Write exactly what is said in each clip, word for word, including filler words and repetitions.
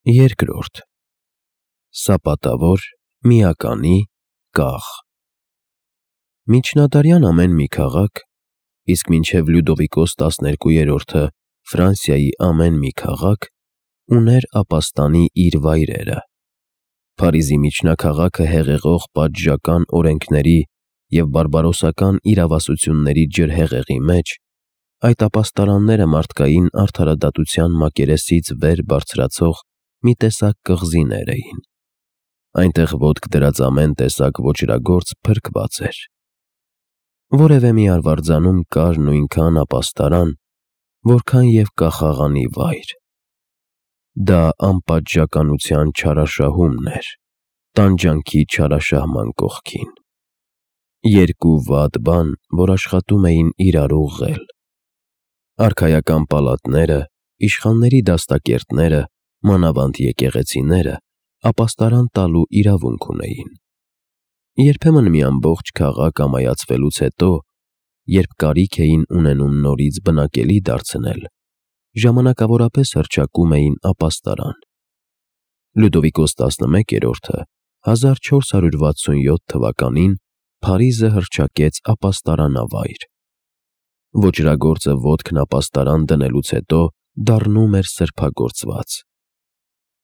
Երկրորդ Սապատավոր, միականի, կաղ Միջնադարյան ամեն մի քաղաք, իսկ մինչև Լյուդովիկոս տասներկուերորդը Ֆրանսիայի ամեն մի քաղաք, ուներ ապաստանի իր վայրերը։ Փարիզի միջնաքաղաքը հեղեղող պատժական օրենքների և բարբարոսական իրավասությունների ջրհեղեղի մեջ, այդ ապաստարանները մարդկային արդարադատության մակերեսից վեր բարձրացող մի տեսակ կղզիներ էին։ Այնտեղ ոտք դրած ամեն տեսակ ոճրագործ փրկված էր։ Որևէ մի արվարձանում կար նույնքան ապաստարան, որքան և կախաղանի վայր։ Դա անպատժականության չարաշահումն էր, տանջանքի չարաշահման կողքին։ Երկու վատ բան, որ աշխատում էին իրար ուղղել։ Արքայական պալատները, իշխանների դաստակերտները, մանավանդ եկեղեցիները ապաստարան տալու իրավունք ունեին։ Երբեմն մի ամբողջ քաղաք ամայացվելուց հետո, երբ կարիք էին ունենում նորից բնակելի դարձնել, ժամանակավորապես հռչակում էին ապաստարան։ Լյուդովիկոս տասնմեկերորդը հազար չորս հարյուր վաթսունյոթ թվականին Փարիզը հռչակեց ապաստարանավայր։ Ոճրագործը ոտքն ապաստարան դնելուց հետո դառնում էր սրբագործված։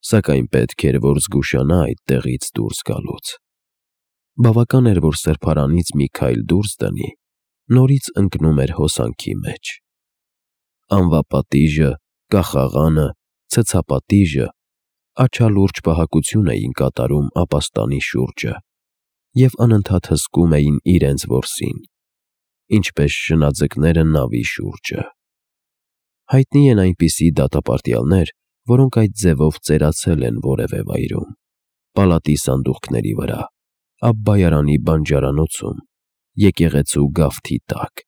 Սակայն պետք էր, որ զգուշանա այդտեղից դուրս գալուց։ Բավական էր, որ սրբարանից մի քայլ դուրս դնի, նորից ընկնում էր հոսանքի մեջ։ Անվապատիժը, կախաղանը, ցցապատիժը աչալուրջ պահակություն էին կատարում ապաստանի շուրջը և անընդհատ հսկում էին իրենց որսին, ինչպես շնաձկները նավի շուրջը։ Հայտնի են այնպիսի դատապարտյալներ, որոնք այդ ձևով ծերացել են որևէ վայրում՝ պալատի սանդուղքների վրա, Աբբայարանի բանջարանոցում, եկեղեցու գավթի տակ։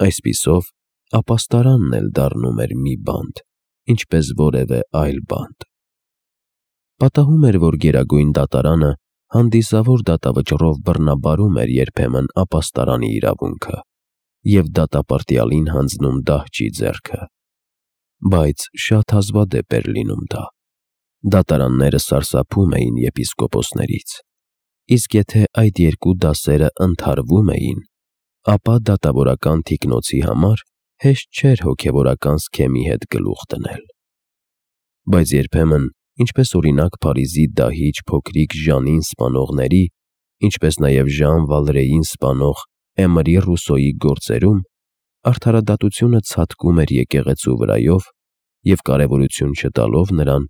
Այսպիսով, ապաստարանն էլ դառնում էր մի բանտ, ինչպես որևէ այլ բանտ։ Պատահում էր, որ Գերագույն դատարանը հանդիսավոր դատավճռով բռնաբարում էր երբեմն ապաստարանի իրավունքը և դատապարտյալին հանձնում դահճի ձեռքը։ Բայց շատ հազվադեպ էր լինում դա։ Դատարանները սարսափում էին եպիսկոպոսներից, իսկ եթե այդ երկու դասերը ընդհարվում էին, ապա դատավորական թիկնոցի համար հեշտ չէր հոգևորական սքեմի հետ գլուխ դնել։ Բայց երբեմն, ինչպես օրինակ Փարիզի դահիճ փոքրիկ Ժանին սպանողների, ինչպես նաև Ժան Վալրեին սպանող Էմրի Ռուսոյի գործերում, արդարադատությունը ցատկում էր եկեղեցու վրայով և կարևորություն չտալով նրան,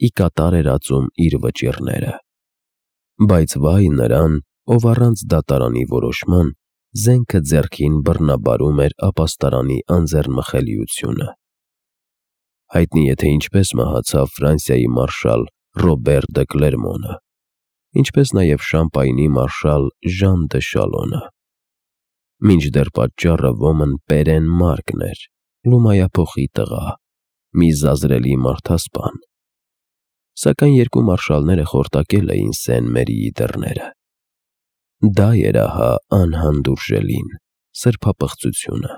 ի կատար էր ածում իր վճիռները։ Բայց վայ նրան, ով առանց դատարանի որոշման զենքը ձեռքին բռնաբարում էր ապաստարանի անձեռնմխելիությունը։ Հայտնի է, թե ինչպես մահացավ Ֆրանսիայի մարշալ Ռոբեր դը Կլերմոնը, ինչպես նաև Շամպայնի մարշալ Ժան դը Շալոնը։ Մինչդեռ պատճառը ոմն Պերեն Մարկն էր, Լումայափոխի տղա, մի զազրելի մարդասպան։ Սակայն երկու մարշալները խորտակել էին Սեն֊Մերիի դռները։ Դա էր ահա անհանդուրժելին, սրբապղծությունը։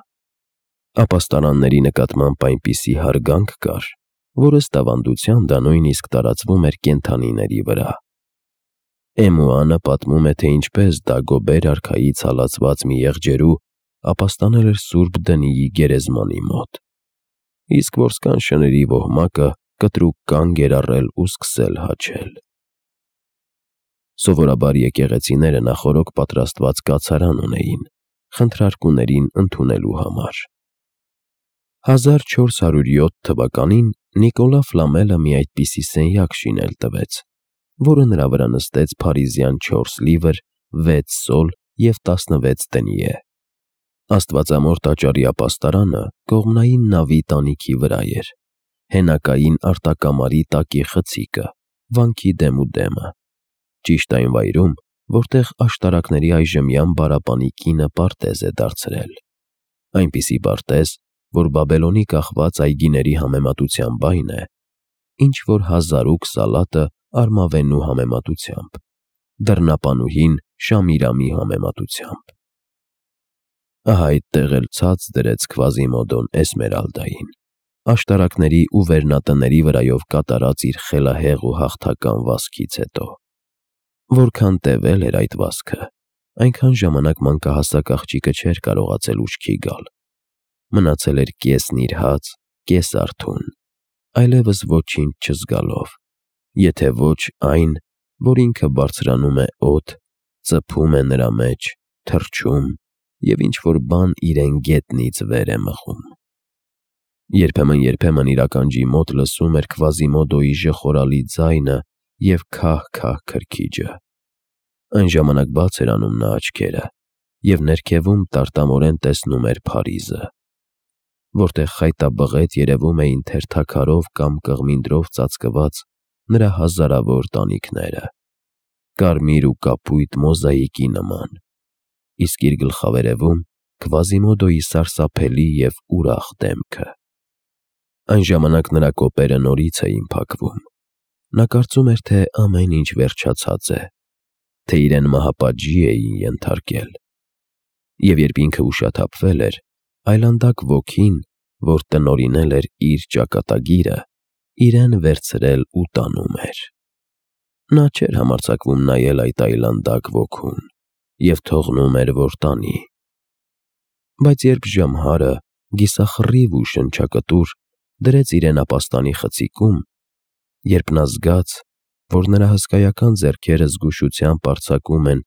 Ապաստարանների նկատմամբ այնպիսի հարգանք կար, որ ըստ ավանդության դա նույնիսկ տարածվում էր կենդանիների վրա։ Էմուանը պատմում է, թե ինչպես Դագոբեր արքայից հալածված մի եղջերու ապաստանել էր Սուրբ Դնիի գերեզմանի մոտ, իսկ որսկան շների ոհմակը կտրուկ կանգ էր առել ու սկսել հաչել։ Սովորաբար եկեղեցիները նախօրոք պատրաստված կացարան ունեին խնդրարկուներին ընդունելու համար։ Հազար չորս հարյուր յոթ թվականին Նիկոլա Ֆլամելը մի այդպիսի սենյակ շինել տվեց, որը նրա վրա նստեց փարիզյան չորս լիվր, վեց սոլ և տասնվեց դենյե։ Աստվածամոր տաճարի ապաստարանը կողմնային նավի տանիքի վրա էր, հենակային արտակամարի տակի խցիկը, վանքի դեմուդեմը, ճիշտ այն վայրում, որտեղ աշտարակների այժմյան բարապանի կինը պարտեզ է դարձրել։ Այնպիսի պարտեզ, որ Բաբելոնի կախված այգիների համեմատությամբ այն է, ինչ որ Հազարուկ Սալատը Արմավենու համեմատությամբ, դռնապանուհին Շամիրամի համեմատությամբ։ Ահա այդտեղ էլ ցած դրեց Քվազիմոդոն Էսմերալդային, աշտարակների ու վերնատների վրայով կատարած իր խելահեղ ու հաղթական վազքից հետո։ Որքան տևել էր այդ վազքը, այնքան ժամանակ մանկահասակ աղջիկը չէր կարողացել ուշքի գալ։ Մնացել էր կես նիրհած, կես արթուն, այլևս ոչինչ չզգալով, եթե ոչ այն, որ ինքը բարձրանում է օդ, ծփում է նրա մեջ, թռչում և ինչ-որ բան իրեն գետնից վեր է մղում։ Երբեմն-երբեմն իր ականջի մոտ լսում էր Քվազիմոդոյի ժխորալի ձայնը և քահ-քահ քրքիջը։ Այն ժամանակ բաց էր անում նա աչքերը և ներքևում տարտամորեն տեսնում էր Փարիզը, որտեղ խայտաբղետ երևում էին թերթաքարով կամ կղմինդրով ծածկված նրա հազարավոր տանիքները, կարմիր ու կապույտ մոզաիկի նման, իսկ իր գլխավերևում Քվազիմոդոյի սարսափելի և ուրախ դեմքը։ Այն ժամանակ նրա կոպերը նորից էին փակվում։ Նա կարծում էր, թե ամեն ինչ վերջացած է, թե իրեն մահապատժի էին ենթարկել։ Եվ երբ ինքը ուշաթափվել էր, այլանդակ ոգին, որ տնօրինել էր իր ճակատագիրը, իրեն վերցրել ու տանում էր։ Նա չէր համարձակվում նայել այդ այլանդակ ոգուն և թողնում էր, որ տանի։ Բայց երբ Ժամհարը, կիսախռիվ ու շնչակտուր, դրեց իրեն ապաստանի խցիկում, երբ նա զգաց, որ նրա հսկայական ձեռքերը զգուշությամբ արձակում են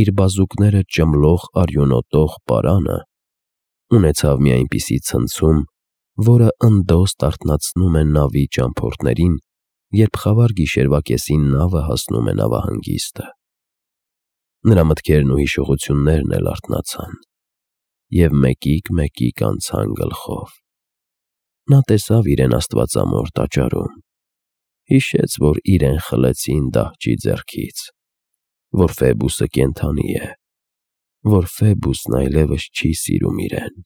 իր բազուկները ճմլող արյունոտող պարանը, ունեցավ մի այնպիսի ցնցում, որը ընդոս արթնացնում է նավի ճամփորդներին, երբ խավար գիշերվա կեսին նավը հասնում է նավահանգիստը։ Նրա մտքերն ու հիշողություններն էլ արթնացան և մեկիկ-մեկիկ անցան գլխով։ Նա տեսավ իրեն Աստվածամոր տաճարում, հիշեց, որ իրեն խլեցին դահճի ձեռքից, որ Ֆեբուսը կենդանի է, որ Ֆեբուսն այլևս չի սիրում իրեն։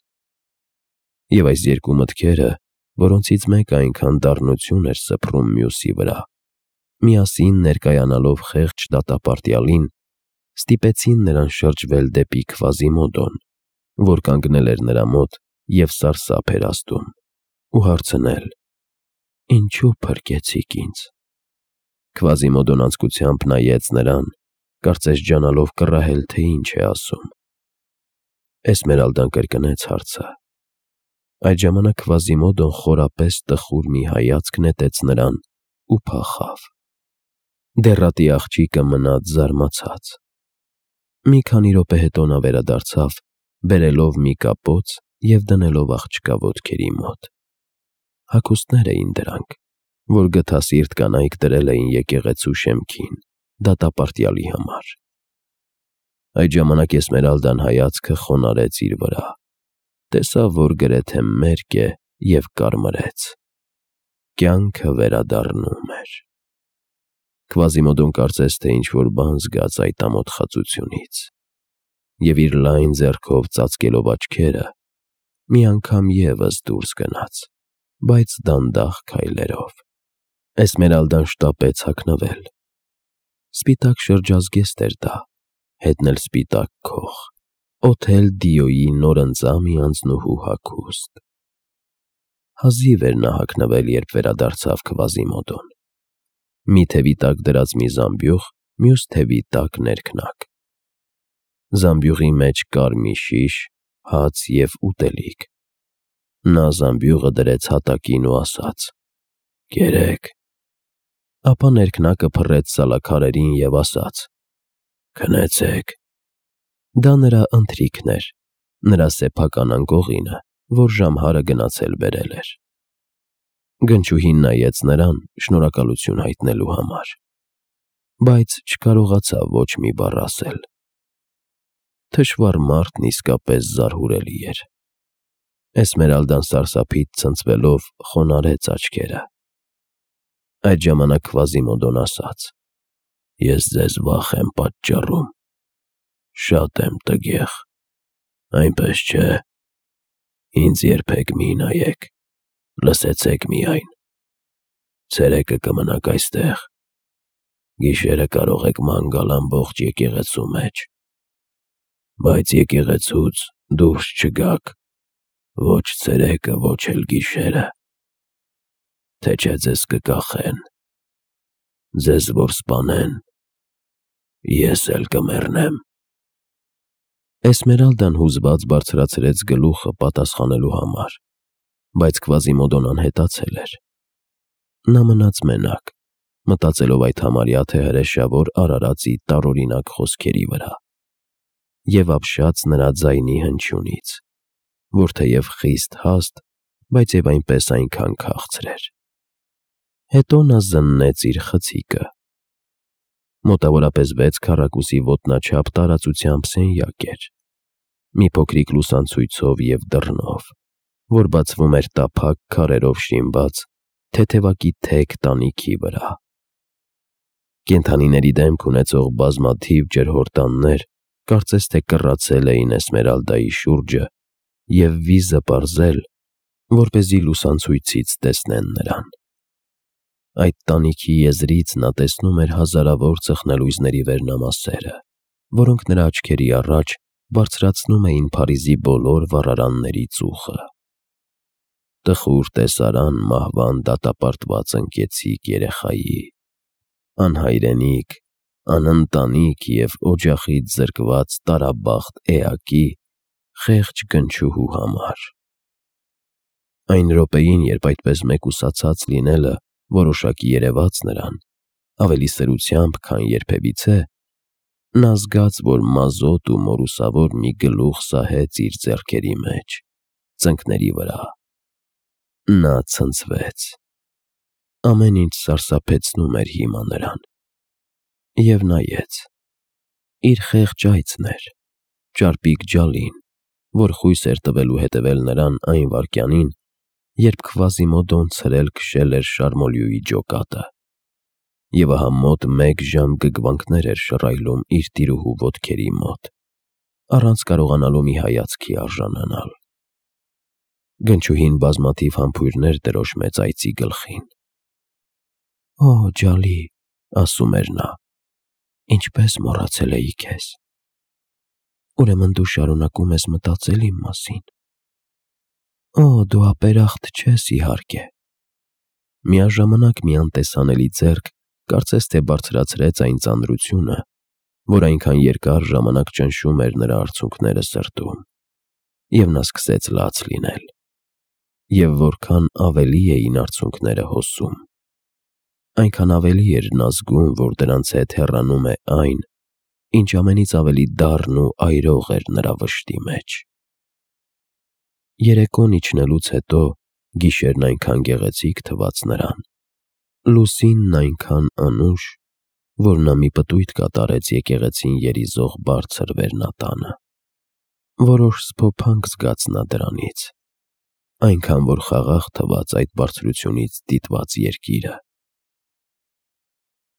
Եվ այս երկու մտքերը, որոնցից մեկը այնքան դառնություն էր սփռում մյուսի վրա, միասին ներկայանալով խեղճ դատապարտյալին, ստիպեցին նրան շրջվել դեպի Քվազիմոդոն, որ կանգնել էր նրա մոտ և սարսափ էր ազդում, ու հարցնել. «Ինչո՞ւ փրկեցիք ինձ»։ Քվազիմոդոն անձկությամբ նայեց նրան, կարծես ջանալով կռահել, թե ինչ է ասում։ Էսմերալդան կրկնեց հարցը։ Այդ ժամանակ Քվազիմոդոն խորապես տխուր մի հայացք նետեց նրան ու փախավ։ Դեռատի աղջիկը մնաց զարմացած։ Մի քանի րոպե հետո նա վերադարձավ, բերելով մի կապոց և դնելով աղջկա ոտքերի մոտ։ Հագուստներ էին դրանք, որ գթասիրտ կանայք դրել էին եկեղեցու շեմքին դատապարտյալի համար։ Այդ ժամանակ Էսմերալդան հայացքը խոնարհեց իր վրա, տեսավ, որ գրեթե մերկ է և կարմրեց։ Կյանքը վերադառնում էր։ Քվազիմոդոն կարծես թե ինչ-որ բան զգաց այդ ամոթխածությունից և իր լայն ձեռքով ծածկելով աչքերը, մի անգամ ևս դուրս գնաց, բայց դանդաղ քայլերով։ Էսմերալդան շտապեց հագնվել։ Սպիտակ շրջազգեստ էր դա, հետն էլ սպիտակ քող, Օթել Դիոյի նորընծա մի անձնուհու հագուստ։ Հազիվ էր նա հագնվել, երբ վերադարձավ Քվազիմոդոն։ Մի թևի տակ դրած մի զամբյուղ, մյուս թևի տակ ներքնակ։ Զամբյուղի մեջ կար մի շիշ, հաց և ուտելիք։ Նա զամբյուղը դրեց հատակին ու ասաց. «Կերեք»։ Ապա ներքնակը փռեց սալաքարերին և ասաց. «Քնեցեք»։ Դա նրա ընթրիքն էր, նրա սեփական անկողինը, որ Ժամհարը գնացել բերել էր։ Գնչուհին նայեց նրան շնորհակալություն հայտնելու համար, բայց չկարողացավ ոչ մի բառ ասել։ Թշվառ մարդն իսկապես զարհուրելի էր։ Էսմերալդան սարսափից ցնցվելով խոնարհեց աչքերը։ Այդ ժամանակ Քվազիմոդոն ասաց. «Ես ձեզ վախ եմ պատճառում, շատ եմ տգեղ, այնպես չէ։ Ինձ երբեք մի նայեք, լսեցեք միայն։ Ցերեկը կմնաք այստեղ, գիշերը կարող եք ման գալ ամբողջ եկեղեցու մեջ, բայց եկեղեցուց դուրս չգաք, ոչ ցերեկը, ոչ էլ գիշերը, թե չէ ձեզ կկախեն, ձեզ որ սպանեն, ես էլ կմեռնեմ»։ Էսմերալդան հուզված բարձրացրեց գլուխը պատասխանելու համար, բայց Կվազիմոդոն անհետացել էր։ Նա մնաց մենակ, մտածելով այդ համարյա թե հրեշավոր արարածի տարօրինակ խոսքերի վրա և ապշած նրա ձայնի հնչյունից, որ թեև խիստ հաստ, բայց և այնպես այնքան քաղցր էր։ Հետո նա զննեց իր խցիկը։ Մոտավորապես վեց քառակուսի ոտնաչափ տարածությամբ սենյակ էր, մի փոքրիկ լուսանցույցով և դռնով, որ բացվում էր տափակ քարերով շինված թեթևակի թեք տանիքի վրա։ Կենդանիների դեմք ունեցող բազմաթիվ ջրհորդաններ կարծես թե կռացել էին Էսմերալդայի շուրջը և վիզը պարզել, որպեսզի լուսանցույցից տեսնեն նրան։ Այդ տանիքի եզրից նա տեսնում էր հազարավոր ծխնելույզների վերնամասերը, որոնք նրա աչքերի առաջ բարձրացնում էին Փարիզի բոլոր վառարանների ծուխը։ Տխուր տեսարան մահվան դատապարտված ընկեցիկ երեխայի, անհայրենիք, անընտանիք և օջախից զրկված տարաբախտ էակի խեղճ գնչուհու համար։ Այն րոպեին, երբ այդպես մեկուսացած լինելը որոշակի երևաց նրան, ավելի սրությամբ, քան երբևիցե, նա զգաց, որ մազոտ ու մորուսավոր մի գլուխ սահեց իր ձեռքերի մեջ, ծնկների վրա։ Նա ցնցվեց։ Ամեն ինչ սարսափեցնում էր հիմա նրան։ Եվ նայեց։ Իր խեղճ այծն էր, ճարպիկ ջալին, որ խույս էր տվելու հետևել նրան այն վայրկյանին, երբ Կվազիմոդոն ցրել-քշել էր Շարմոլյուի ջոկատը, և ահա մոտ մեկ ժամ գգվանքներ էր շռայլում իր տիրուհու ոտքերի մոտ, առանց կարողանալու մի հայացքի արժանանալ։ Գնչուհին բազմաթիվ համբույրներ տրոշմեց այծի գլխին։ «Օ, ջալի», ասում էր նա, «ինչպես մոռացել էի քեզ։ Ուրեմն դու շարունակում ես մտածել իմ մասին։ Օ, դու ապերախտ չես, իհարկե»։ Միաժամանակ մի անտեսանելի ձեռք կարծես թե բարձրացրեց այն ծանրությունը, որ այնքան երկար ժամանակ ճնշում էր նրա արցունքները սրտում, և նա սկսեց լաց լինել։ Եվ որքան ավելի էին արցունքները հոսում, այնքան ավելի էր նա զգում, որ դրանց հետ հեռանում է այն, ինչ ամենից ավելի դառն ու այրող էր նրա վշտի մեջ։ Երեկոն իջնելուց հետո գիշերն այնքան գեղեցիկ թվաց նրան, լուսինն այնքան անուշ, որ նա մի պտույտ կատարեց եկեղեցին երիզող բարձր վերնատանը։ Որոշ սփոփանք զգաց նա դրանից, այնքան որ խաղաղ թվաց այդ բարձրությունից դիտված երկիրը։